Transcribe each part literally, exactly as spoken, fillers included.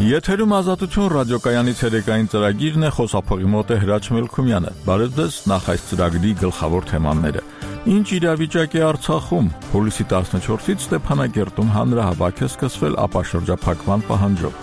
Եթերում ազատություն ռադիոկայանի ցերեկային ծրագիրն է, խոսափողի մոտ է Հրաչ Մելքումյանը։ Բարև ձեզ, նախ այս ծրագրի գլխավոր թեմաները։ Ինչ իրավիճակ է Արցախում։ Հուլիսի տասնչորսից Ստեփանակերտում հանրահավաք է սկսվել ապաշրջափակման պահանջով։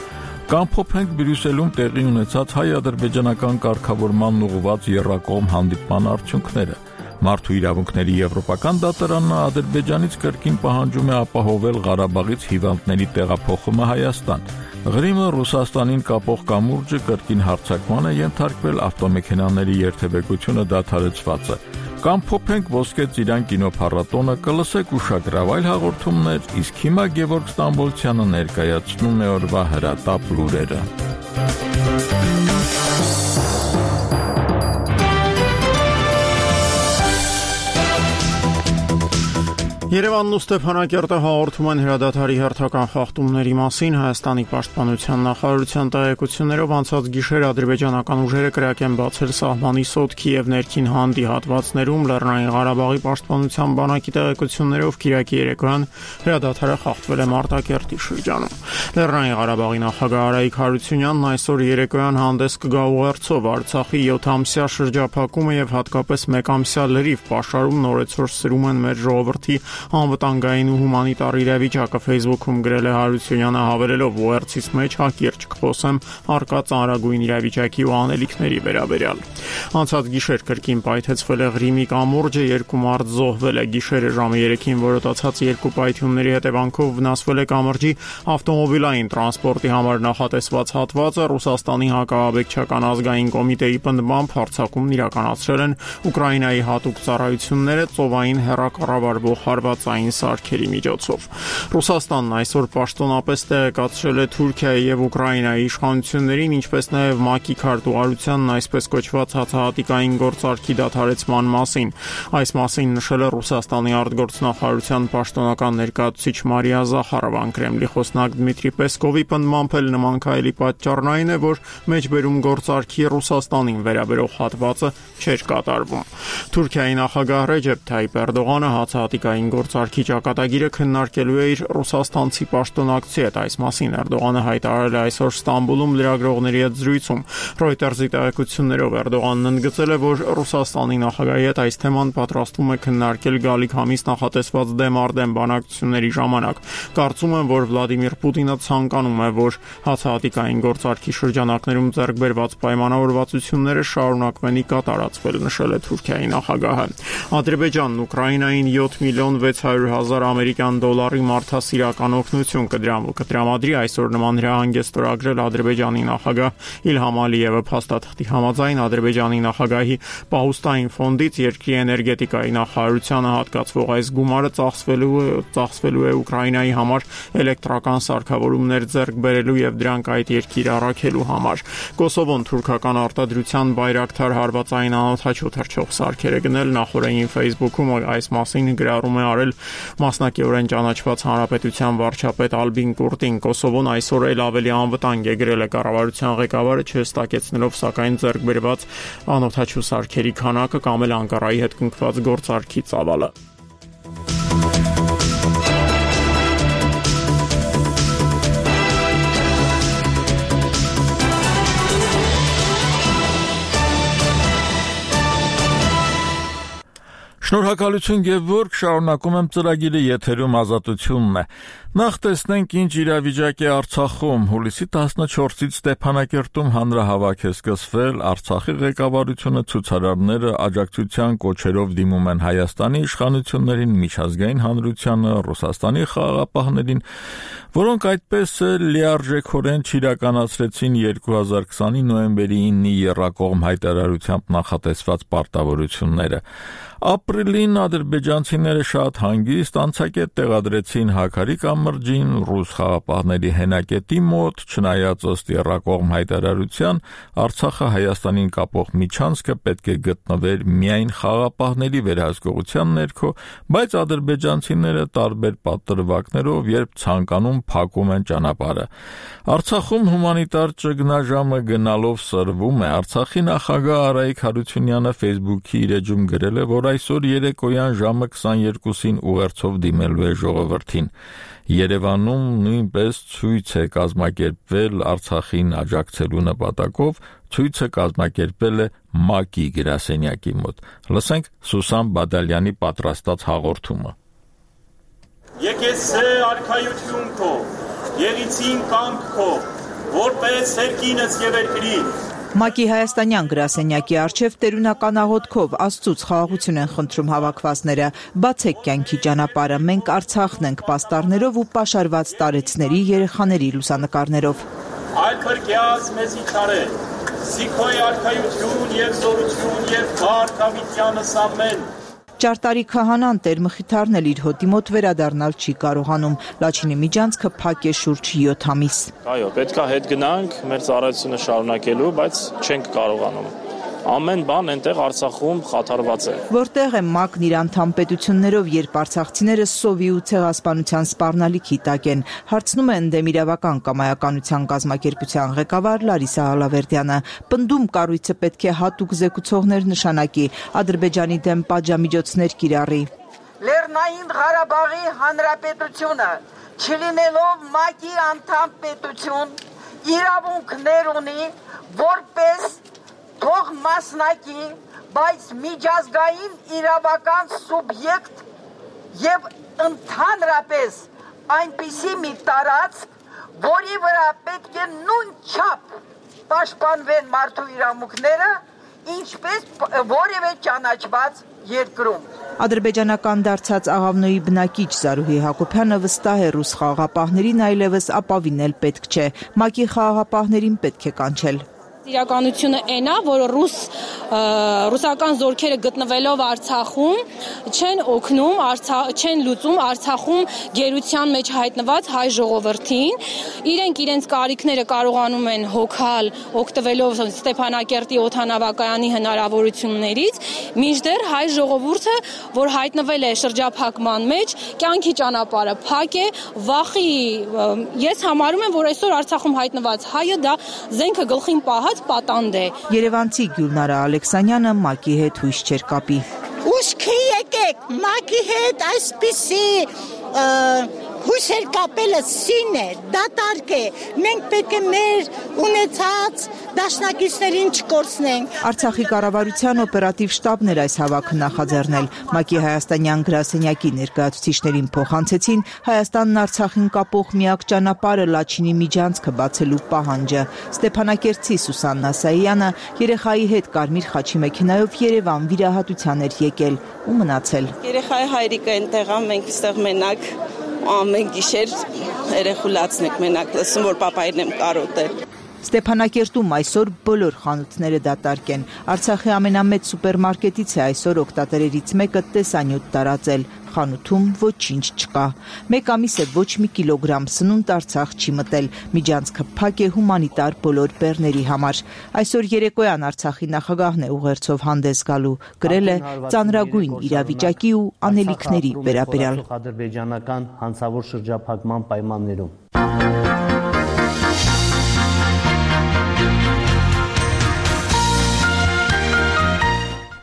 Կամփոփենք Բրյուսելում տեղի ունեցած հայ-ադրբեջանական կարգավորման ուղղված եռակողմ հանդիպման արդյունքները։ Մարդու իրավունքների եվրոպական դատարանը Ադրբեջանից կրկին պահանջում է ապահովել Ղարաբաղից հիվանդների տեղափոխումը Հայաստան։ Ղրիմը Ռուսաստանին կապող կամուրջը կրկին հարձակման է ենթարկվել, ավտոմեքենաների երթևեկությունը դադարեցված է։ Կամփոփենք Ոսկե ծիրան կինոփառատոնը, կլսեք ուշագրավ այլ հաղորդումներ, իսկ հիմա Գևորգ Ստամբոլցյանը ներկայացնում է օրվա հրատապ լուրերը։ Երևանն ու Ստեփանակերտը հաղորդում են հրադադարի հերթական խախտումների մասին։ Հայաստանի պաշտպանության նախարարության տեղեկություններով անցած գիշեր ադրբեջանական ուժերը կրակ են բացել սահմանի Սոտքի եւ ներքին Հանդի հատվածներում։ Լեռնային Ղարաբաղի պաշտպանության բանակի տեղեկություններով Կիրակի երեկոյան հրադադարը խախտվել է Մարտակերտի շրջանում։ Լեռնային Ղարաբաղի նախագահ Արայիկ Հարությունյանն այսօր երեկոյան հանդես կգա ուղերձով Արցախի յոթամսյա շրջափակումը եւ հատկապես մեկամսյա լրիվ պաշարում նորեցօր սրում են մեր ժողովրդի անվտանգային ու հումանիտար իրավիճակը։ Facebook-ում գրել է Հարությունյանը, հավելելով ուղերձից մեջ հակիրճ կխոսեմ առկա ծանրագույն իրավիճակի ու անելիքների վերաբերյալ։ Անցած գիշեր կրկին պայթեցվել է Ղրիմի կամուրջը, երկու մարդ զոհվել է։ Գիշերը ժամը երեքին որոտացած երկու պայթյունների հետևանքով վնասվել է կամրջի ավտոմոբիլային տրանսպորտի համար նախատեսված հատվածը։ Ռուսաստանի հակաաբեկչական ազգային կոմիտեի պնդմամբ հարձակումն իրականացրել են Ուկրաինայի հատուկ ծառայությունները ծովային հեռակառավարվող հարվածային սարքերի միջոցով։ Ռուսաստանն այսօր պաշտոնապես տեղեկացրել է Թուրքիայի եւ Ուկրաինայի իշխանություններին, ինչպես նաեւ ՄԱԿ-ի քարտուղարությանն այսպես կոչված հացահատիկային գործարքի դադարեցման մասին։ Այս մասին նշել է Ռուսաստանի արտգործնախարարության պաշտոնական ներկայացուցիչ Մարիա Զախարովան։ Կրեմլի խոսնակ Դմիտրի Պեսկովի պնդմամբ էլ նման քայլի պատճառն այն է, որ մեջբերում գործարքի Ռուսաստանին վերաբերող հատվածը չէր կատարվում։ Թուրքիայի նախագահ Ռեջեփ Թայիպ Էրդողանը հացահատիկային գործարքի ճակատագիրը քննարկելու է իր ռուսաստանցի պաշտոնակցի հետ։ Այս մասին Էրդողանը հայտարարել է այսօր Ստամբուլում լրագրողների հետ զրույցում։ Ռոյտերզի տեղեկություններով Էրդողանն ընդգծել է, որ Ռուսաստանի նախագահի հետ այս թեման պատրաստվում է քննարկել գալիք ամիս նախատեսված դեմ-արդեմ բանակցությունների ժամանակ։ Կարծում եմ, որ Վլադիմիր Պուտինը ցանկանում է, որ հացահատիկային գործարքի շրջանակներում ձեռք բերված պայմանավորվածությունները շարունակվեն ի կատարածվել, նշել է Թուրքիայի նախագահը։ Ադրբեջանն Ուկրաինային յոթ միլիոն վեց հարյուր հազար ամերիկյան դոլարի մարդասիրական օգնություն կտրամադրի։ Այսօր նման հրահանգ է ստորագրել Ադրբեջանի նախագահ Իլհամ Ալիևը։ Փաստաթղթի համաձայն Ադրբեջանի նախագահի պահուստային ֆոնդից երկրի էներգետիկայի նախարարությանը հատկացվող այս գումարը ծախսվելու է ծախսվելու է Ուկրաինայի համար էլեկտրական սարքավորումներ ձեռք բերելու եւ դրանք այդ երկիր առաքելու համար։ Կոսովոն թուրքական արտադրության բայրակթար հարվածային անօդաչու թռչող սարքեր է գնել։ Նախորդին Facebook-ում այս մասին գրառում է արել մասնակիորեն ճանաչված հանրապետության վարչապետ Ալբին Կուրտին։ Կոսովոն այսօր էլ ավելի անվտանգ է գրել է կառավարության ղեկավարը, չհստակեցնելով սակայն ձեռք բերված անօդաչու սարքերի քանակը կամ էլ Անկարայի հետ կնքված գործարքի ծավալը։ Շնորհակալություն Գևորգ, շարունակում եմ ծրագիրը, եթերում ազատությունն է։ Նախ տեսնենք ինչ իրավիճակ է Արցախում։ Հուլիսի տասնչորսից Ստեփանակերտում հանրահավաք է սկսվել։ Արցախի ղեկավարությունը ցուցարարները աջակցության կոչերով դիմում են Հայաստանի իշխանություններին, միջազգային հանրությանը, Ռուսաստանի խաղաղապահներին, որոնք այդպես էլ լիարժեքորեն չիրականացրեցին երկու հազար քսանի նոյեմբերի իննի եռակողմ հայտարարությամբ նախատեսված պարտավորությունները։ Ապրիլին ադրբեջանցիները շատ հանգիստ անցակետ տեղադրեցին Հաքարի կամրջին ռուս խաղապահների հենակետի մոտ, չնայած ըստ եռակողմ հայտարարության Արցախը Հայաստանին կապող միջանցքը պետք է գտնվեր միայն խաղապահների վերահսկողության ներքո, բայց ադրբեջանցիները տարբեր պատրվակներով երբ ցանկանում փակում են ճանապարհը։ Արցախում հումանիտար ճգնաժամը գնալով սրվում է։ Արցախի նախագահ Արայիկ Հարությունյանը Facebook-ի իր էջում գրել է, որ այսօր երեկոյան ժամը քսաներկուսին ուղերձով դիմելու է ժողովրդին։ Երևանում նույնպես ցույց է կազմակերպվել Արցախին աջակցելու նպատակով, ցույցը կազմակերպել է ՄԱԿ-ի գրասենյակի մոտ։ Լսենք Սուսան Բադալյանի պատրաստած հաղորդումը։ Եկես սե արքայություն քո, եղիցին կանք քո, որպես երկինս եւ երկրի։ ՄԱԿ-ի հայաստանյան գրասենյակի առջև տերունական աղոթքով Աստծուց խաղաղություն են խնդրում հավաքվածները։ Բացեք կյանքի ճանապարհը, մենք Արցախն ենք պաստառներով ու պաշարված տարեցների երեխաների լուսանկարներով։ Այլ քրկյաց մեզի չարե, սիքոյ արքայություն եւ զորություն եւ բարքավիտյանս ամեն։ Ճարտարի քահանան Տեր Մխիթարն էլ իր հոտի մոտ վերադառնալ չի կարողանում։ Լաչինի միջանցքը փակ է շուրջ յոթ ամիս։ Այո, պետք է հետ գնանք մեր ծառայությունը շարունակելու, բայց չենք կարողանում։ Ամեն բան այնտեղ Արցախում խաթարված է։ Որտեղ է ՄԱԿ-ն իր անդամ պետություններով, երբ արցախցիները սովի ու ցեղասպանության սպառնալիքի տակ են, հարցնում է ընդդեմ իրավական կամայականության կազմակերպության ղեկավար Լարիսա Ալավերդյանը։ Պնդում կառույցը պետք է հատուկ զեկուցողներ նշանակի, Ադրբեջանի դեմ պատժամիջոցներ կիրառի։ Լեռնային Ղարաբաղի Հանրապետությունը, չլինելով ՄԱԿ-ի անդամ պետություն, իրավունքներ ունի, որպես թող մասնակի, բայց միջազգային իրավական սուբյեկտ եւ ընդհանրապես այնպիսի մի տարածք, որի վրա պետք է նույն չափ պաշտպանվեն մարդու իրավունքները, ինչպես որևէ ճանաչված երկրում։ Ադրբեջանական դարձած Աղավնոյի բնակիչ Զարուհի Հակոբյանը վստահ է ռուս խաղաղապահներին այլևս ապավինել պետք չէ, ՄԱԿ-ի խաղաղապահներին պետք է կանչել։ Իրականությունը այն է, որ ռուս ռուսական զորքերը գտնվելով Արցախում չեն օգնում, չեն լուծում Արցախում գերության մեջ հայտնված հայ ժողովրդին։ Իրենք իրենց կարիքները կարողանում են հոգալ, օգտվելով Ստեփանակերտի օդանավակայանի հնարավորություններից, մինչդեռ հայ ժողովուրդը, որ հայտնվել է շրջափակման մեջ, կյանքի ճանապարհը փակ է, վախի, ես համարում եմ, որ այսօր Արցախում հայտնված հայը դա զենքը գլխին պահած պատանդ է։ Երևանցի Գյուլնարա Ալեքսանյանը ՄԱԿ-ի հետ հույս չեր կապի։ Ուշքի եկեք, ՄԱԿ-ի հետ այսպիսի հույսեր կապելը սին է, դատարկ է, մենք պետք է մեր ունեցած դաշնակիցներին չկորցնենք։ Արցախի կառավարության օպերատիվ շտաբն էր այս հավաքը նախաձեռնել։ ՄԱԿ-ի հայաստանյան գրասենյակի ներկայացուցիչներին փոխանցեցին Հայաստանն Արցախին կապող միակ ճանապարհը Լաչինի միջանցքը բացելու պահանջը։ Ստեփանակերտցի Սուսաննա Սայյանը երեխայի հետ կարմիր խաչի մեքենայով Երևան վիրահատության էր եկել ու մնացել։ Երեխայի հայրիկը այնտեղ է, մենք այստեղ մենակ ամեն գիշեր երեխուլացն եք մենակ լսում, որ պապային եմ կարոտել։ Ստեփանակերտում այսօր բոլոր խանութները դատարկ են։ Արցախի ամենամեծ սուպերմարկետից է այսօր օգտատերերից մեկը տեսանյութ տարածել։ Խանութում ոչինչ չկա։ Մեկ ամիս է ոչ մի կիլոգրամ սնունդ Արցախ չի մտել։ Միջանցքը փակ է հումանիտար բոլոր բեռների համար։ Այսօր երեկոյան Արցախի նախագահն է ուղերձով հանդես գալու, գրել է ծանրագույն իրավիճակի ու անելիքների վերաբերյալ։ Ադրբեջանական հանցավոր շրջափակման պայմաններում։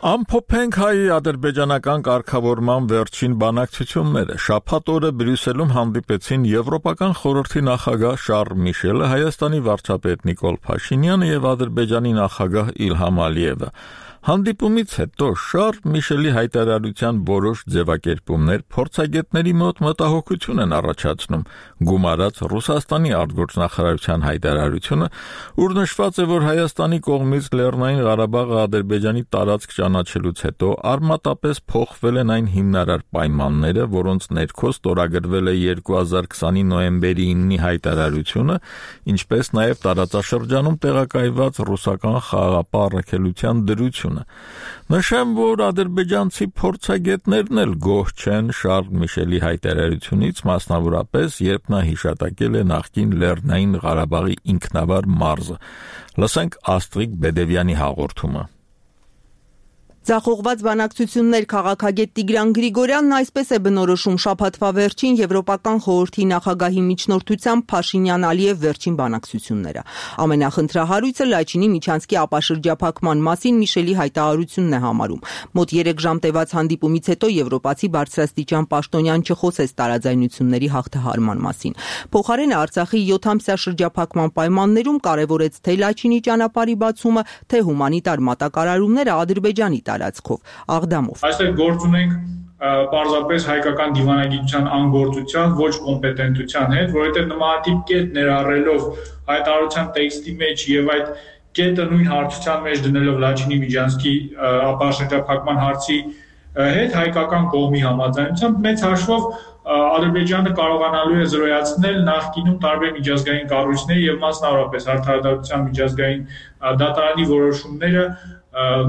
Ամփոփենք հայի ադրբեջանական կարգավորման վերջին բանակցությունները։ Շաբաթ օրը Բրյուսելում հանդիպեցին Եվրոպական խորհրդի նախագահ Շարլ Միշելը, Հայաստանի վարչապետ Նիկոլ Փաշինյանը եւ Ադրբեջանի նախագահ Իլհամ Ալիևը։ Հանդիպումից հետո Շարլ Միշելի հայտարարության որոշ ձևակերպումներ փորձագետների մոտ մտահոգություն են առաջացնում, գումարած Ռուսաստանի արտգործնախարարության հայտարարությունը, ուր նշված է, որ Հայաստանի կողմից Լեռնային Ղարաբաղը Ադրբեջանի տարածք ճանաչելուց հետո արմատապես փոխվել են այն հիմնարար պայմանները, որոնց ներքո ստորագրվել է երկու հազար քսանի նոյեմբերի իննի հայտարարությունը, ինչպես նաև տարածաշրջանում տեղակայված ռուսական խաղաղապահ առաքելության դրությունը։ Նշեմ, որ ադրբեջանցի փորձագետներն էլ գոհ չեն Շարլ Միշելի հայտարարությունից, մասնավորապես, երբ նա հիշատակել է նախկին Լեռնային Ղարաբաղի ինքնավար մարզը։ Լսենք Աստրիկ Բեդևյանի հաղորդումը։ Ձախողված բանակցություններ քաղաքագետ Տիգրան Գրիգորյանն այսպես է բնորոշում շաբաթվա վերջին Եվրոպական խորհրդի նախագահի միջնորդությամբ Փաշինյան-Ալիև վերջին բանակցությունները։ Ամենախնդրահարույցը Լաչինի միջանցքի ապաշրջափակման մասին Միշելի հայտարարությունն է համարում։ Մոտ երեք ժամ տևած հանդիպումից հետո եվրոպացի բարձրաստիճան պաշտոնյան չխոսեց տարաձայնությունների հաղթահարման մասին։ Փոխարենը Արցախի յոթամսյա շրջափակման պայմաններում կարևորեց թե Լաչինի ճանապարհի բացումը, թե հումանիտար մատակարարումները Ադրբեջանի տարածքով, Աղդամով։ Այստեղ գործ ունենք պարզապես հայկական դիվանագիտության անգործության, ոչ կոմպետենտության հետ, որովհետև նմանատիպ կետ ներառելով հայտարարության տեքստի մեջ եւ այդ կետը նույն հարցության մեջ դնելով Լաչինի միջանցքի ապաշրջափակման հարցի հետ հայկական կողմի համաձայնությամբ մեծ հաշվով Ադրբեջանը կարողանալու է զրոյացնել նախկինում տարբեր միջազգային կառույցների եւ մասնավորապես Արդարադատության միջազգային դատարանի որոշումները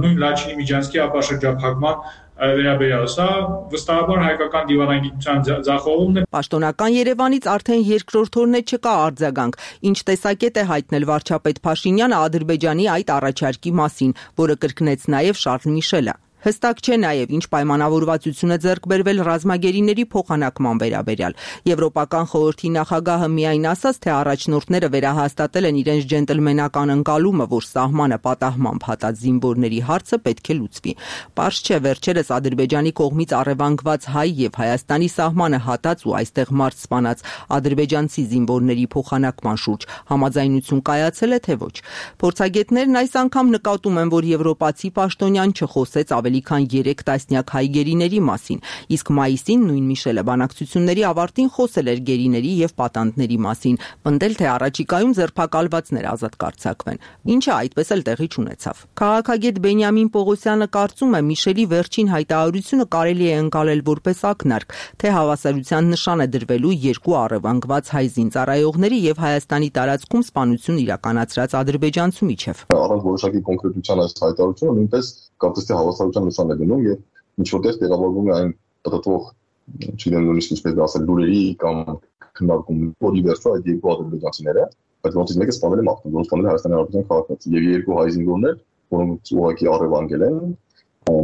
նույն Լաչինի միջանցքի ապաշրջափակման վերաբերյալ։ Սա վստահաբար հայկական դիվանագիտության ձախողումն է։ Պաշտոնական Երևանից արդեն երկրորդ օրն է չկա արձագանք, ինչ տեսակետ է հայտնել վարչապետ Փաշինյանը Ադրբեջանի այդ առաջարկի մասին, որը կրկնեց նաև Շարլ Միշելը։ Հստակ չէ նաև ինչ պայմանավորվածություն է ձեռք բերվել ռազմագերիների փոխանակման վերաբերյալ։ Եվրոպական խորհրդի նախագահը միայն ասաց, թե առաջնորդները վերահաստատել են իրենց ջենտլմենական ընկալումը, որ սահմանը պատահմամբ հատած զինվորների հարցը պետք է լուծվի։ Պարզ չէ, վերջերս Ադրբեջանի կողմից առևանգված հայ եւ Հայաստանի սահմանը հատած ու այստեղ մարդ սպանած ադրբեջանցի զինվորների փոխանակման շուրջ համաձայնություն կայացել է, թե ոչ։ Փորձագետներն այս անգամ նկատում են, որ եվրոպացի պաշտոնյան չխոսեց ավելի քան երեք տասնյակ հայ գերիների մասին, իսկ մայիսին նույն Միշելը բանակցությունների ավարտին խոսել էր գերիների եւ պատանդների մասին, պնդել, թե առաջիկայում ձերբակալվածներ ազատ կարձակվեն, ինչը այդպես էլ տեղի չունեցավ։ Քաղաքագետ Բենյամին Պողոսյանը կարծում է, Միշելի վերջին հայտարարությունը կարելի է ընկալել որպես ակնարկ, թե հավասարության նշան է դրվելու երկու առևանգված հայ զինծառայողների եւ Հայաստանի տարածքում սպանություն իրականացրած ադրբեջանցու միջև։ Առանց որոշակի կոնկրետության այս հայտարարությունը նույնպես կարծես թե հավասարության նշան է դնում եւ ինչ որտեղ տեղավորվում է այն պատտվող, չգիտեմ նույնիսկ ինչպես ասել, լուրերի կամ քննարկումների, որի վերջո այդ երկու ադրբեջանցիները, բայց ոնց մեկը սպանել է մարտում, ոնց սպանել է Հայաստանի Հանրապետության քաղաքացի եւ երկու հայ զինվորներ, որոնց ուղղակի առևանգել են,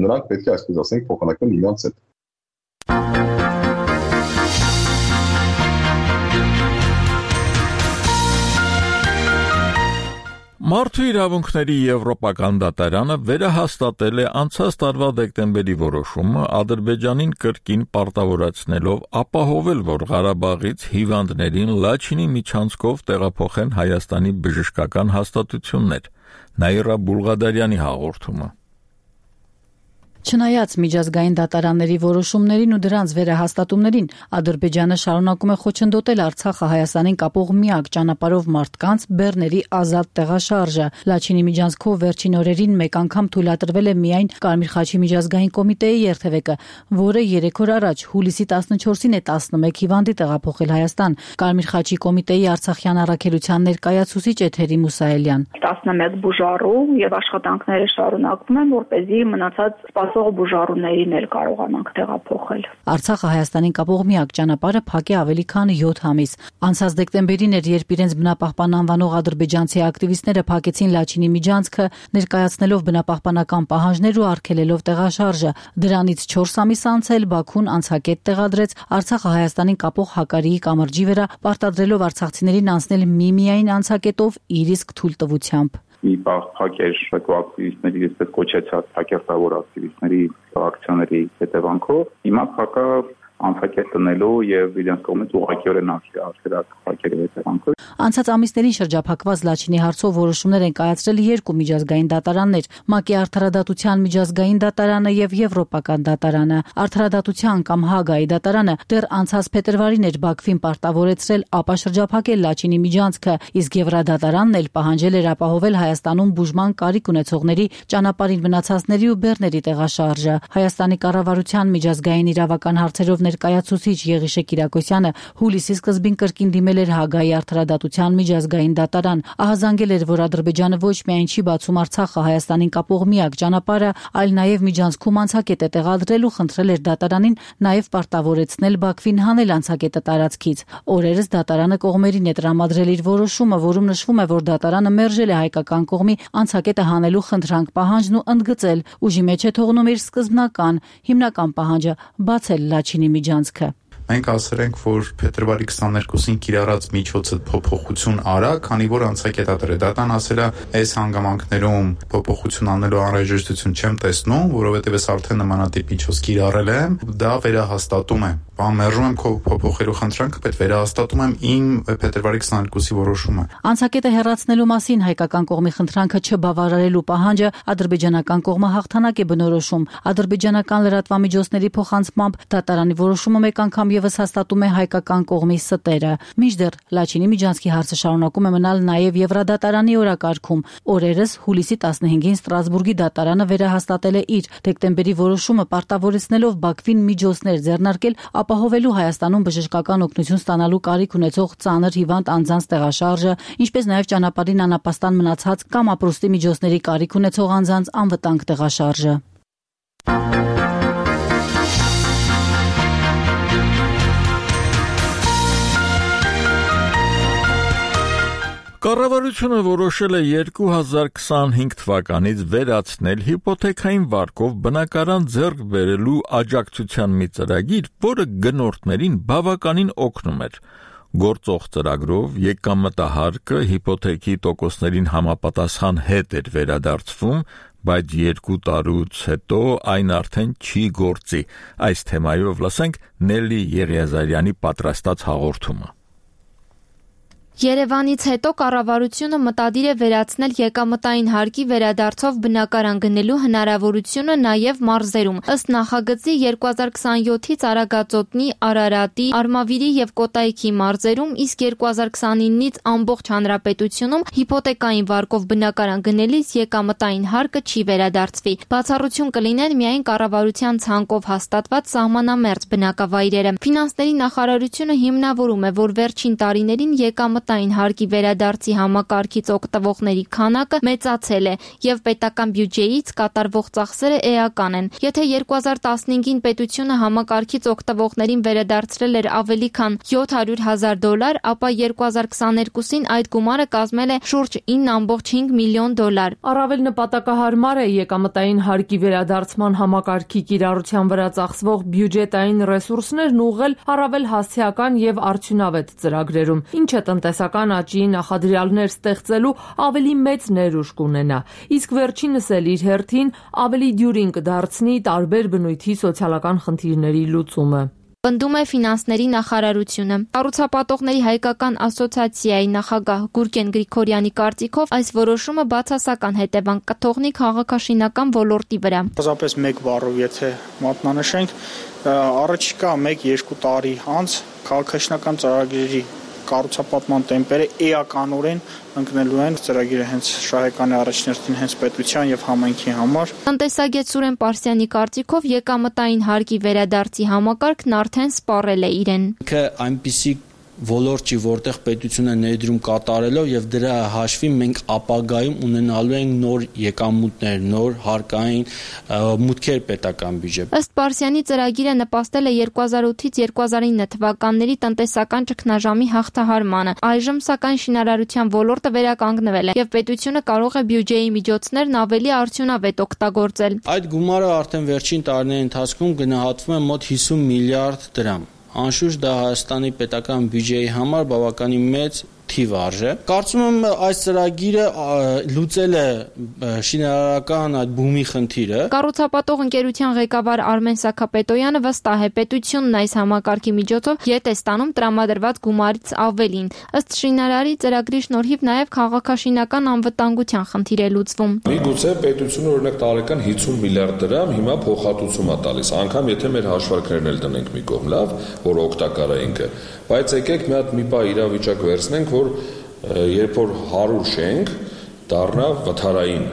նրանք պետք է այսպես ասենք փոխանակեն իրենց հետ։ Մարդու իրավունքների Եվրոպական դատարանը վերահաստատել է անցած տարվա դեկտեմբերի որոշումը Ադրբեջանին կրկին պարտավորացնելով ապահովել, որ Ղարաբաղից հիվանդներին Լաչինի միջանցքով տեղափոխեն Հայաստանի բժշկական հաստատություններ։ Նաիրա Բուլղադարյանի հաղորդումը։ Չնայած միջազգային դատարանների որոշումներին ու դրանց վերահաստատումներին, Ադրբեջանը շարունակում է խոչընդոտել Արցախը Հայաստանին կապող միակ ճանապարհով մարդկանց բեռների ազատ տեղաշարժը։ Լաչինի միջանցքով վերջին օրերին մեկ անգամ թույլատրվել է միայն Կարմիր խաչի միջազգային կոմիտեի երթևեկը, որը երեք օր առաջ հուլիսի տասնչորսին է տասնմեկ հիվանդի տեղափոխել Հայաստան։ Կարմիր խաչի կոմիտեի Արցախյան առաքելության ներկայացուցիչ է Թերի Մուսայելյան։ տասնմեկ բուժառու եւ աշխատանքները շարունակվում են, որպեսզի մնացած սպասող բուժառուներին էլ կարողանանք տեղափոխել։ Արցախը Հայաստանին կապող միակ ճանապարհը փակ է ավելի քան յոթ ամիս։ Անցած դեկտեմբերին էր, երբ իրենց բնապահպան անվանող ադրբեջանցի ակտիվիստները փակեցին Լաչինի միջանցքը, ներկայացնելով բնապահպանական պահանջներ ու արգելելով տեղաշարժը։ Դրանից չորս ամիս անց էլ Բաքուն անցակետ տեղադրեց Արցախը Հայաստանին կապող Հակարիի կամրջի վրա, պարտադրելով արցախցիներին անցնել միմիային անցակետով իր իսկ թույլտվությամբ։ Մի բաղ փակեր ակտիվիստների, այսպես կոչեցած հակերտավոր ակտիվիստների ակցիաների հետևանքով, հիմա փակա անցակետ տնելու եւ իրենց կողմից ուղղակիորեն արգելած փակերի հետևանքով։ Անցած ամիսներին շրջափակված Լաչինի հարցով որոշումներ են կայացրել երկու միջազգային դատարաններ՝ ՄԱԿ-ի Արդարադատության միջազգային դատարանը եւ Եվրոպական դատարանը։ Արդարադատության կամ Հագայի դատարանը դեռ անցած փետրվարին էր Բաքվին պարտավորեցրել ապաշրջափակել Լաչինի միջանցքը, իսկ Եվրադատարանն էլ պահանջել էր ապահովել Հայաստանում բուժման կարիք ունեցողների ճանապարհին մնացածների ու բեռների տեղաշարժը։ Հայաստանի կառավարության միջազգային իրավական հարցերով ներկայացուցիչ Եղիշե Կիրակոսյանը հուլիսի սկզբին կրկին դիմել էր Հագայի արդարադատության միջազգային դատարան, ահազանգել էր, որ Ադրբեջանը ոչ միայն չի բացում Արցախը Հայաստանին կապող միակ ճանապարհը, այլ նաև միջանցքում անցակետ է տեղադրել ու խնդրել էր դատարանին նաև պարտավորեցնել Բաքվին հանել անցակետը տարածքից։ Օրերս դատարանը կողմերին է տրամադրել իր որոշումը, որում նշվում է, որ դատարանը մերժել է հայկական կողմի անցակետը հանելու խնդրանք պահանջն ու ընդգծել, ուժի մեջ է թողնում իր սկզբնական հիմնական պահանջը բացել Լաչինի միջանցքը։ Մենք ասել ենք, որ փետրվարի քսաներկուսին կիրառած միջոցը փոփոխություն արա, քանի որ անցակետատերը դատան ասել է, այս հանգամանքներում փոփոխություն անելու անհրաժեշտություն չեմ տեսնում, որովհետև ես արդեն նմանատիպ միջոց կիրառել եմ, դա վերահաստատում է։ Բան մերժում եմ քո փոփոխելու խնդրանքը, բայց վերահաստատում եմ իմ փետրվարի քսաներկուսի որոշումը։ Անցակետը հեռացնելու մասին հայկական կողմի խնդրանքը չբավարարելու պահանջը ադրբեջանական կողմը հաղթանակ է բնորոշում։ Ադրբեջանական լրատվամիջոցների փոխանցմամբ դատարանի որոշումը մեկ անգամ եւս հաստատում է հայկական կողմի ստերը։ Մինչդեռ Լաչինի միջանցքի հարցը շարունակում է մնալ նաև Եվրադատարանի օրակարգում։ Օրերս հուլիսի տասնհինգին Ստրասբուրգի դատարանը վերահաստատել է իր դեկտեմբերի որոշումը պարտավորեցնելով Բաքվին միջոցներ ձեռնարկել ապահովելու Հայաստանում բժշկական օգնություն ստանալու կարիք ունեցող ծանր հիվանդ անձանց տեղաշարժը, ինչպես նաև ճանապարհին անապաստան մնացած կամ ապրուստի միջոցների կարիք ունեցող անձանց անվտանգ տեղաշարժը։ Կառավարությունը որոշել է երկու հազար քսանհինգ թվականից վերացնել հիպոթեքային վարկով բնակարան ձեռք բերելու աջակցության մի ծրագիր, որը գնորդներին բավականին օգնում էր։ Գործող ծրագրով եկամտահարկը հիպոթեքի տոկոսներին համապատասխան հետ էր վերադարձվում, բայց երկու տարուց հետո այն արդեն չի գործի։ Այս թեմայով լսենք Նելի Եղիազարյանի պատրաստած հաղորդումը։ Երևանից հետո կառավարությունը մտադիր է վերացնել եկամտային հարկի վերադարձով բնակարան գնելու հնարավորությունը նաև մարզերում։ Ըստ նախագծի երկու հազար քսանյոթից Արագածոտնի, Արարատի, Արմավիրի եւ Կոտայքի մարզերում, իսկ երկու հազար քսանինից ամբողջ հանրապետությունում հիպոթեկային վարկով բնակարան գնելիս եկամտային հարկը չի վերադարձվի։ Բացառություն կլինեն միայն կառավարության ցանկով հաստատված սահմանամերձ բնակավայրերը։ Ֆինանսների նախարարությունը հիմնավորում է, որ վերջին տարիներին եկամտ Ային հարկի վերադարձի համակարգից օգտվողների քանակը մեծացել է եւ պետական բյուջեից կատարվող ծախսերը էական են։ Եթե երկու հազար տասնհինգին պետությունը համակարգից օգտվողներին վերադարձրել էր ավելի քան յոթ հարյուր հազար դոլար, ապա երկու հազար քսաներկուսին այդ գումարը կազմել է շուրջ ինը կόμμα հինգ միլիոն դոլար։ Առավել նպատակահարմար է եկամտային հարկի վերադարձման համակարգի կիրառության վրա ծախսվող բյուջետային ռեսուրսներն ուղղել առավել հասցեական եւ արդյունավետ ծրագրերում, ինչը տնտեսական աճի նախադրյալներ ստեղծելու ավելի մեծ ներուժ կունենա, իսկ վերջինս էլ իր հերթին ավելի դյուրին կդարձնի տարբեր բնույթի սոցիալական խնդիրների լուծումը։ Պնդում է ֆինանսների նախարարությունը։ Կառուցապատողների հայկական ասոցիացիայի նախագահ Գուրգեն Գրիգորյանի կարծիքով այս որոշումը բացասական հետևանք կթողնի քաղաքաշինական ոլորտի վրա։ Պարզապես մեկ բառով եթե մատնանշենք, առաջիկա մեկ-երկու տարի անց քաղաքաշինական ծրագրերի կառուցապատման տեմպերը էականորեն ընկնելու են, ծրագիրը հենց շահեկան է առաջներտին հենց պետության եւ համայնքի համար։ Տնտեսագետ Սուրեն Պարսյանի կարծիքով եկամտային հարկի վերադարձի համակարգն արդեն սպառել է իրեն։ Că այնպիսի ոլորտ չի, որտեղ պետությունը ներդրում կատարելով եւ դրա հաշվի մենք ապագայում ունենալու ենք նոր եկամուտներ, նոր հարկային մուտքեր պետական բյուջե։ Ըստ Պարսյանի ծրագիրը նպաստել է երկու հազար ութից երկու հազար ինը թվականների տնտեսական ճգնաժամի հաղթահարմանը։ Այժմ սակայն շինարարության ոլորտը վերականգնվել է եւ պետությունը կարող է բյուջեի միջոցներն ավելի արդյունավետ օգտագործել։ Այդ գումարը արդեն վերջին տարիների ընթացքում գնահատվում է մոտ հիսուն միլիարդ դրամ։ Անշուշտ դա Հայաստանի պետական բյուջեի համար բավականին մեծ թիվ արժե։ Կարծում եմ այս ծրագիրը լուծել է շինարարական այդ բումի խնդիրը։ Կառուցապատող ընկերության ղեկավար Արմեն Սաքապետոյանը վստահ է, պետությունն այս համակարգի միջոցով ետ է ստանում տրամադրված գումարից ավելին։ Ըստ շինարարի ծրագրի շնորհիվ նաև քաղաքաշինական անվտանգության խնդիր է լուծվում։ Միգուցե պետությունը օրինակ տարեկան հիսուն միլիարդ դրամ հիմա փոխհատուցում է տալիս, անգամ եթե մեր հաշվարկներն էլ դնենք մի կողմ, լավ, որ օգտակար է ինքը, բայց եկեք մի հատ մի բա իրավիճակ վերցնենք, որ երբ որ հարյուր շենք դառնա վթարային,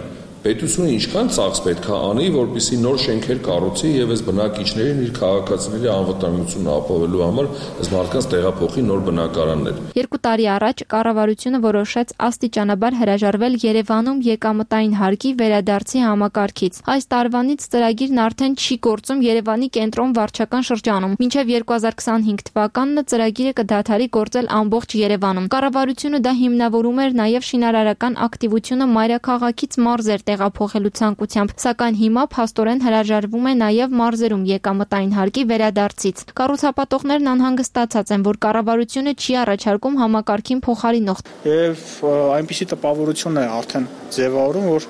Պետությունը ինչքան ծախս պետք է անի, որպեսզի նոր շենքեր կառուցի եւ այս բնակիչներին իր քաղաքացիների անվտանգությունն ապահովելու համար այս մարդկանց տեղափոխի նոր բնակարաններ։ Երկու տարի առաջ կառավարությունը որոշեց աստիճանաբար հրաժարվել Երևանում եկամտային հարկի վերադարձի համակարգից։ Այս տարվանից ծրագիրն արդեն չի գործում Երևանի կենտրոն վարչական շրջանում։ Մինչև երկու հազար քսանհինգ թվականն ծրագիրը կդադարի գործել ամբողջ Երևանում։ Կառավարությունը դա հիմնավորում էր նաև շինարարական ակտիվությունը մայրաքաղաքից մարզեր տեղափոխելու ցանկությամբ, սակայն հիմա փաստորեն հրաժարվում է նաև մարզերում եկամտային հարկի վերադարձից։ Կառուցապատողներն անհանգստացած են, որ կառավարությունը չի առաջարկում համակարգին փոխարինող։ Եվ այնպիսի տպավորություն է արդեն ձևավորում, որ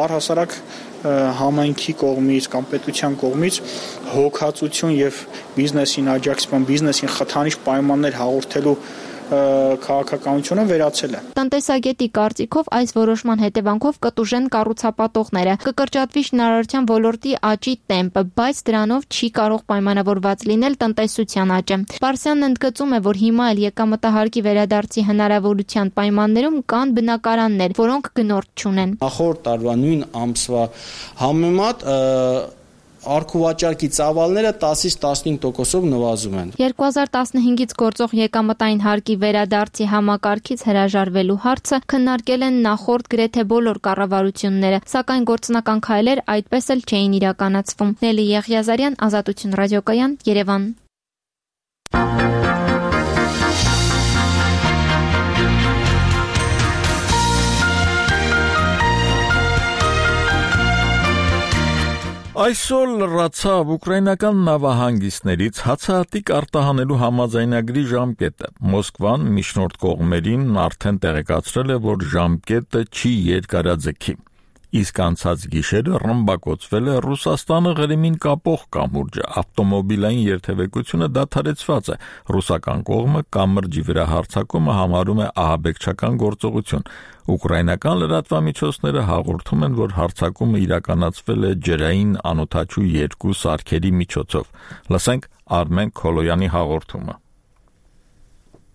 առհասարակ համայնքի կողմից կամ պետության կողմից հոգացություն եւ բիզնեսին աջակցման, բիզնեսին խթանիչ պայմաններ հաղորդելու քաղաքականությունը վերացել է։ Տնտեսագետի կարծիքով այս որոշման հետևանքով կտուժեն կառուցապատողները, կկրճատվի շինարարության ոլորտի աճի տեմպը, բայց դրանով չի կարող պայմանավորված լինել տնտեսության աճը։ Պարսյանն ընդգծում է, որ հիմա էլ եկամտահարկի վերադարձի հնարավորության պայմաններում կան բնակարաններ, որոնք գնորդ չունեն։ Նախորդ տարվա նույն ամսվա համեմատ Արքուվաճառքի ծավալները տասից տասնհինգ տոկոսով նվազում են։ երկու հազար տասնհինգից գործող եկամտային հարկի վերադարձի համակարգից հրաժարվելու հարցը քննարկել են նախորդ գրեթե բոլոր կառավարությունները, սակայն գործնական քայլեր այդպես էլ չէին իրականացվում։ Նելի Եղիազարյան, Ազատություն ռադիոկայան, Երևան։ Այսօր լրացավ ուկրաինական նավահանգիստներից հացահատիկ արտահանելու համաձայնագրի ժամկետը։ Մոսկվան միջնորդ կողմերին արդեն տեղեկացրել է, որ ժամկետը չի երկարաձգի։ Իսկ անցած գիշերը ռմբակոծվել է Ռուսաստանը Ղրիմին կապող կամուրջը, ավտոմոբիլային երթևեկությունը դադարեցված է։ Ռուսական կողմը կամրջի վրա հարձակումը համարում է ահաբեկչական գործողություն։ Ուկրաինական լրատվամիջոցները հաղորդում են, որ հարձակումը իրականացվել է ջրային անօդաչու երկու սարքերի միջոցով։ Լսենք Արմեն Քոլոյանի հաղորդումը։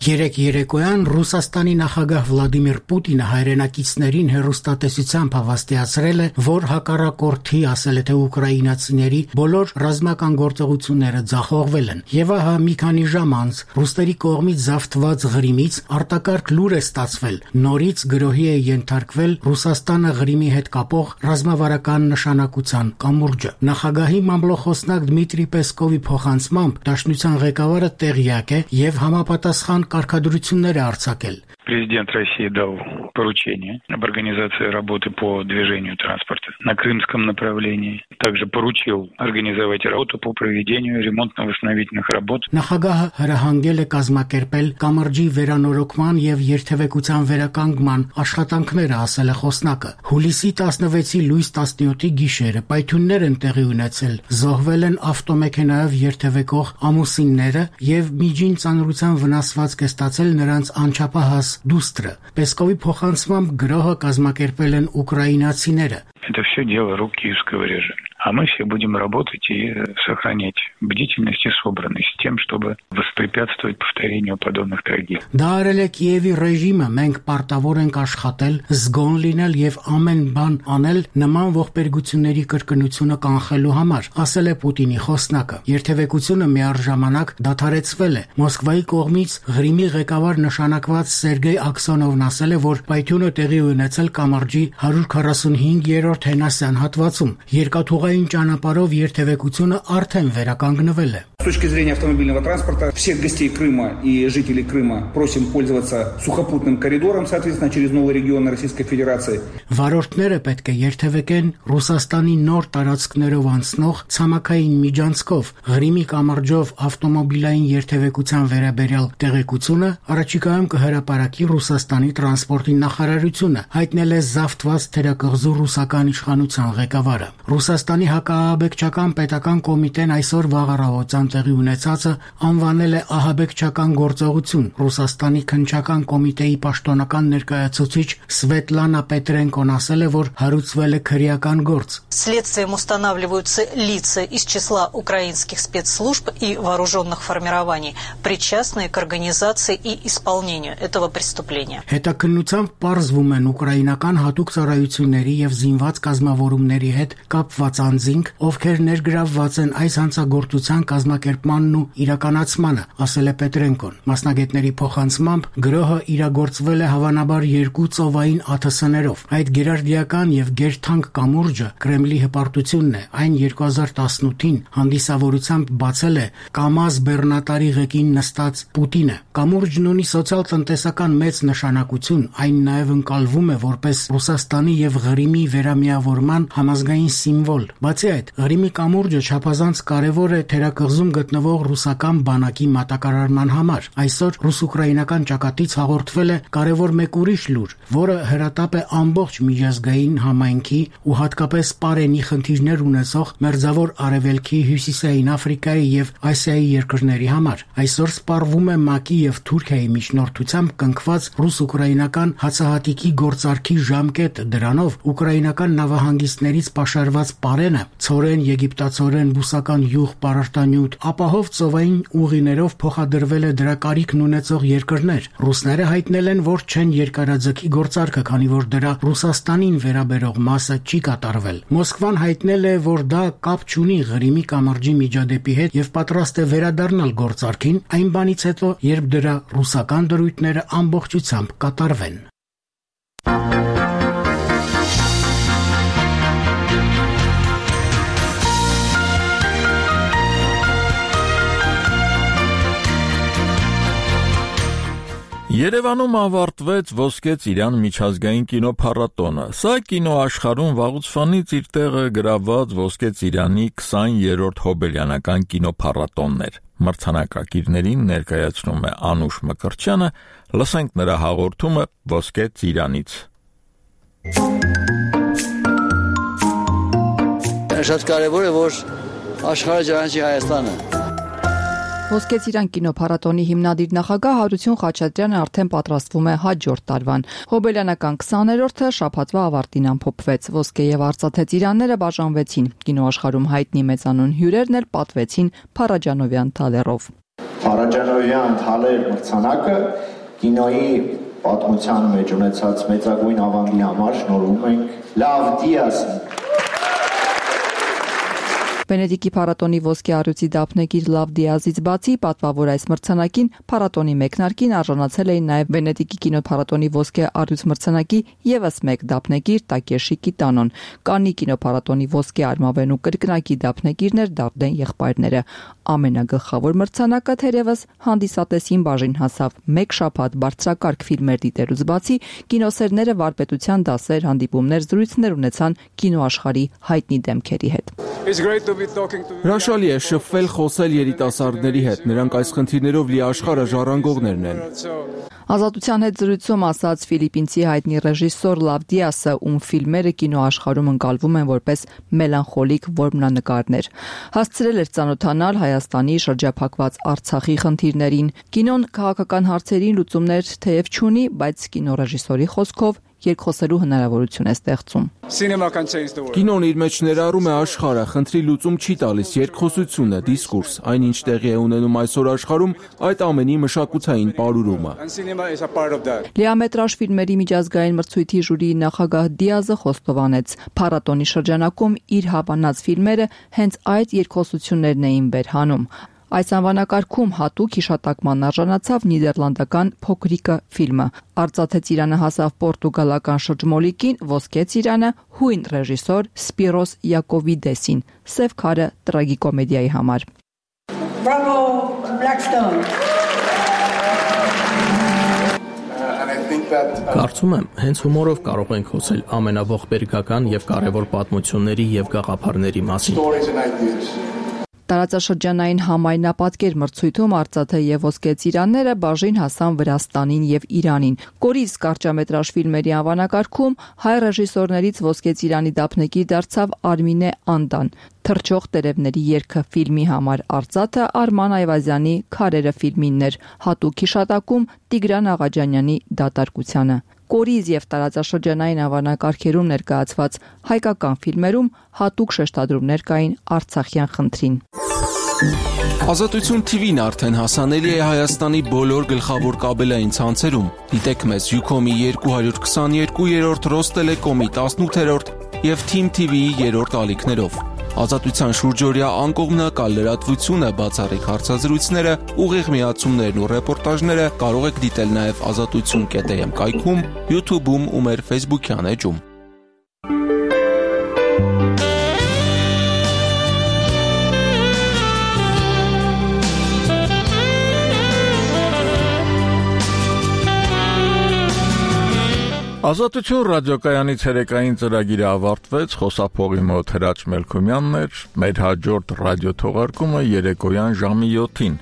Երեկ երեկոյան Ռուսաստանի նախագահ Վլադիմիր Պուտինը հայրենակիցներին հեռուստատեսությամբ հավաստիացրել է, որ հակառակորդի ասել է, թե ուկրաինացիների բոլոր ռազմական գործողությունները ձախողվել են։ Եվ ահա մի քանի ժամ անց ռուսների կողմից զավթված Ղրիմից արտակարգ լուր է ստացվել։ Նորից գրոհի է ենթարկվել Ռուսաստանը Ղրիմի հետ կապող ռազմավարական նշանակության կամուրջը։ Նախագահի մամլոխոսնակ Դմիտրի Պեսկովի փոխանցմամբ Դաշնության ղեկավարը տեղյակ է եւ համապատասխան կարգադրություններ է արձակել։ Президент России дал поручение об организации работы по движению транспорта на крымском направлении. Также поручил организовать работу по проведению ремонтно-восстановительных работ. Նախագահը հրահանգել է կազմակերպել կամրջի վերանորոգման եւ երթևեկության վերականգնման աշխատանքները, ասել է խոսնակը։ Հուլիսի տասնվեցի լույս տասնյոթի գիշերը պայթյուններ են տեղի ունեցել։ Զոհվել են ավտոմեքենայով երթևեկող ամուսինները եւ միջին ծանրության վնասվածք է ստացել նրանց անչափահաս դուստրը։ Պեսկովի փոխանցմամբ գրոհը կազմակերպել են ուկրաինացիները։ Это все дело рук киевского режима. А мы все будем работать и сохранять бдительность и собранность тем, чтобы воспрепятствовать повторению подобных трагедий. Դա արել է Կիևի ռեժիմը, մենք պարտավոր ենք աշխատել, զգոն լինել եւ ամեն բան անել նման ողբերգությունների կրկնությունը կանխելու համար, ասել է Պուտինի խոսնակը։ Երթևեկությունը միառժամանակ դադարեցվել է։ Մոսկվայի կողմից Ղրիմի ղեկավար նշանակված Սերգեյ Աքսոնովն ասել է, որ պայթյունը տեղի ունեցել կամրջի հարյուր քառասունհինգ երրորդ հենասյան հատվածում։ Երկաթուղային ճանապարհով երթևեկությունը արդեն վերականգնվել է։ С точки зрения автомобильного транспорта, всех гостей Крыма и жителей Крыма просим пользоваться сухопутным коридором, соответственно, через новые регионы Российской Федерации. Վարորդները պետք է երթևեկեն Ռուսաստանի նոր տարածքներով անցնող ցամաքային միջանցքով։ Ղրիմի կամրջով ավտոմոբիլային երթևեկության վերաբերյալ տեղեկությունը առաջիկայում կհրապարակի Ռուսաստանի տրանսպորտի նախարարությունը, հայտնել է զավթված թերակղզու ռուսական իշխանության ղեկավարը։ Ռուսաստանի հակաահաբեկչական պետական կոմիտեն այսօր վաղ առավոտյան տեղի ունեցածը անվանել է ահաբեկչական գործողություն։ Ռուսաստանի քննչական կոմիտեի պաշտոնական ներկայացուցիչ Սվետլանա Պետրենկոն ասել է, որ հարուցվել է քրեական գործ։ Следствием устанавливаются лица из числа украинских спецслужб и вооруженных формирований, причастные к организации и исполнению этого преступления. Հետաքննությամբ պարզվում են ուկրաինական հատուկ ծառայությունների եւ զինված կազմավորումների հետ կապված անձինք, ովքեր ներգրավված են այս հանցագործության կազմակերպմանն ու իրականացմանը, ասել է Պետրենկոն։ Մասնագետների փոխանցմամբ գրոհը իրագործվել է հավանաբար երկու ծովային ԱԹՍ-ներով։ Այդ գերարդիական եւ գերթանկ կամուրջը Կրեմլի հպարտությունն է։ Այն երկու հազար տասնութին հանդիսավորությամբ բացել է Կամազ բեռնատարի ղեկին նստած Պուտինը։ Կամուրջն ունի սոցիալ-տնտեսական մեծ նշանակություն, այն նաև ընկալվում է որպես Ռուսաստանի եւ Ղրիմի վերամիավորման համազգային սիմվոլ։ Բացի այդ, Ղրիմի կամուրջը չափազանց կարևոր է թերակղզում գտնվող ռուսական բանակի մատակարարման համար։ Այսօր ռուս-ուկրաինական ճակատից հաղորդվել է կարևոր մեկ ուրիշ լուր, որը հրատապ է ամբողջ միջազգային համայնքի ու հատկապես Պարենի խնդիրներ ունեցող Մերձավոր Արևելքի, Հյուսիսային Աֆրիկայի եւ Ասիայի երկրների համար։ Այսօր սպառվում է ՄԱԿ-ի եւ Թուրքիայի միջնորդությամբ կնքված ռուս-ուկրաինական հացահատիկի գործարքի ժամկետը։ Դրանով ուկրաինական նավահանգիստներից պաշարված Պարենը ցորեն, եգիպտացորեն, բուսական յուղ, պարարտանյութ, ապահով ծովային ուղիներով փոխադրվել է դրա կարիքն ունեցող երկրներ։ Ռուսները հայտնել են, որ չեն երկարաձգի գործարքը, քանի որ դրա Ռուսաստանին վերաբերող մասը չի կատարվել։ Մոսկվան հայտնել է, որ դա կապ չունի Ղրիմի կամրջի միջադեպի հետ եւ պատրաստ է վերադառնալ գործարքին այն բանից հետո, երբ դրա ռուսական դրույթները ամբողջությամբ կատարվեն։ Երևանում ավարտվեց Ոսկե Ծիրան միջազգային կինոփառատոնը։ Սա կինոաշխարհում վաղուց իր տեղը գրաված Ոսկե Ծիրանի քսաներորդ հոբելյանական կինոփառատոնն էր։ Մրցանակակիրներին ներկայացնում է Անուշ Մկրտչյանը, լսենք նրա հաղորդումը Ոսկե Ծիրանից։ Շատ կարևոր է, որ աշխարհը ճանաչի Հայաստանը։ Ոսկե Ծիրան կինոփառատոնի հիմնադիր նախագահ Հարություն Խաչատրյանը արդեն պատրաստվում է հաջորդ տարվան։ Հոբելյանական քսաներորդը շաբաթվա ավարտին ամփոփվեց։ Ոսկե եւ արծաթե ծիրանները բաժանվեցին։ Կինոաշխարհում հայտնի մեծանուն հյուրերն էլ պատվեցին Փարաջանովյան թալերով։ Փարաջանովյան թալեր մրցանակը կինոյի պատմության մեջ ունեցած մեծագույն ավանդի համար շնորհում ենք Լավ Դիաս։ Վենետիկի փառատոնի ոսկե առյուծի դափնեկիր Լավ Դիազից բացի պատվավոր այս մրցանակին փառատոնի մեկնարկին արժանացել էին նաև Վենետիկի կինոփառատոնի ոսկե առյուծ մրցանակի եւս մեկ դափնեկիր Տակեշի Կիտանոն, Կաննի կինոփառատոնի ոսկե արմավենու կրկնակի դափնեկիրներ Դարդեն եղբայրները։ Ամենագլխավոր մրցանակը թերևս հանդիսատեսին բաժին հասավ։ Մեկ շաբաթ բարձրակարգ ֆիլմեր դիտելուց բացի կինոսերները վարպետության դասեր, հանդիպումներ, զրույցներ ունեցան կինոաշխարհի հայտնի դեմքերի հետ։ Հրաշալի է շփվել, խոսել երիտասարդների հետ, նրանք այս խնդիրներով լի աշխարհը ժառանգողներն են։ Ազատության հետ զրույցում ասաց ֆիլիպինցի հայտնի ռեժիսոր Լավ Դիասը, ում ֆիլմերը կինոաշխարհում ընկալվում են որպես մելանխոլիկ որմնանկարներ։ Հասցրել էր ծանոթանալ Հայաստանի շրջափակված Արցախի խնդիրներին։ Կինոն քաղաքական հարցերին լուծումներ թեև չունի, բայց կինոռեժիսորի խոսքով երկխոսելու հնարավորություն է ստեղծում։ Կինոն իր մեջ ներառում է աշխարհը, խնդրի լուծում չի տալիս, երկխոսությունը, դիսկուրս, այն ինչ տեղի է ունենում այսօր աշխարհում, այդ ամենի մշակութային պարուրումը։ Լիամետրաժ ֆիլմերի միջազգային մրցույթի ժյուրիի նախագահ Դիազը խոստովանեց, փառատոնի շրջանակում իր հավանած ֆիլմերը հենց այդ երկխոսություններն էին վերհանում։ Այս անվանակարգում հատուկ հիշատակման արժանացավ նիդերլանդական Փոքրիկը ֆիլմը։ Արծաթե ծիրանը հասավ պորտուգալական շրջմոլիկին, ոսկե ծիրանը հույն ռեժիսոր Սպիրոս Յակովիդեսին, Սև քարը տրագիկոմեդիայի համար։ Bravo Blackstone. Կարծում եմ, հենց հումորով կարող ենք խոսել ամենաողբերգական եւ կարեւոր պատմությունների եւ գաղափարների մասին։ Տարածաշրջանային համայնապատկեր մրցույթում արծաթե եւ ոսկե ծիրանները բաժին հասան Վրաստանին եւ Իրանին։ Կորիզ կարճամետրաժ ֆիլմերի անվանակարգում հայ ռեժիսորներից ոսկե ծիրանի դափնեկիր դարձավ Արմինե Անդան։ Թռչող տերևների երգը ֆիլմի համար արծաթը Արման Այվազյանի Քարերը ֆիլմինն էր, հատուկ հիշատակում Տիգրան Աղաջանյանի դատարկությանը։ Կորիզ եւ տարածաշրջանային անվանակարգերում ներկայացված հայկական ֆիլմերում հատուկ շեշտադրումներ կային արցախյան խնդրին։ Ազատություն թիվին արդեն հասանելի է Հայաստանի բոլոր գլխավոր կաբելային ցանցերում։ Դիտեք մեզ Յուքոմի երկու քսաներկուերորդ, Ռոստելեկոմի տասնութերորդ եւ Թիմ թի վիի երրորդ ալիքներով։ Ազատության շուրջօրյա անկողմնակալ լրատվությունը, բացառիկ հարցազրույցները, ուղիղ միացումներն ու ռեպորտաժները կարող եք դիտել նաև ազատություն կետ էմ կայքում, YouTube-ում ու մեր Facebook-յան էջում։ Ազատություն ռադիոկայանի ցերեկային ծրագիրը ավարտվեց, խոսափողի մոտ Հրաչ Մելքումյանն էր, մեր հաջորդ ռադիոթողարկումը երեկոյան ժամի յոթին։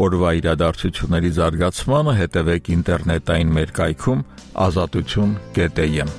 Օրվա իրադարձությունների զարգացմանը հետևեք ինտերնետային մեր կայքում ազատություն կետ էմ։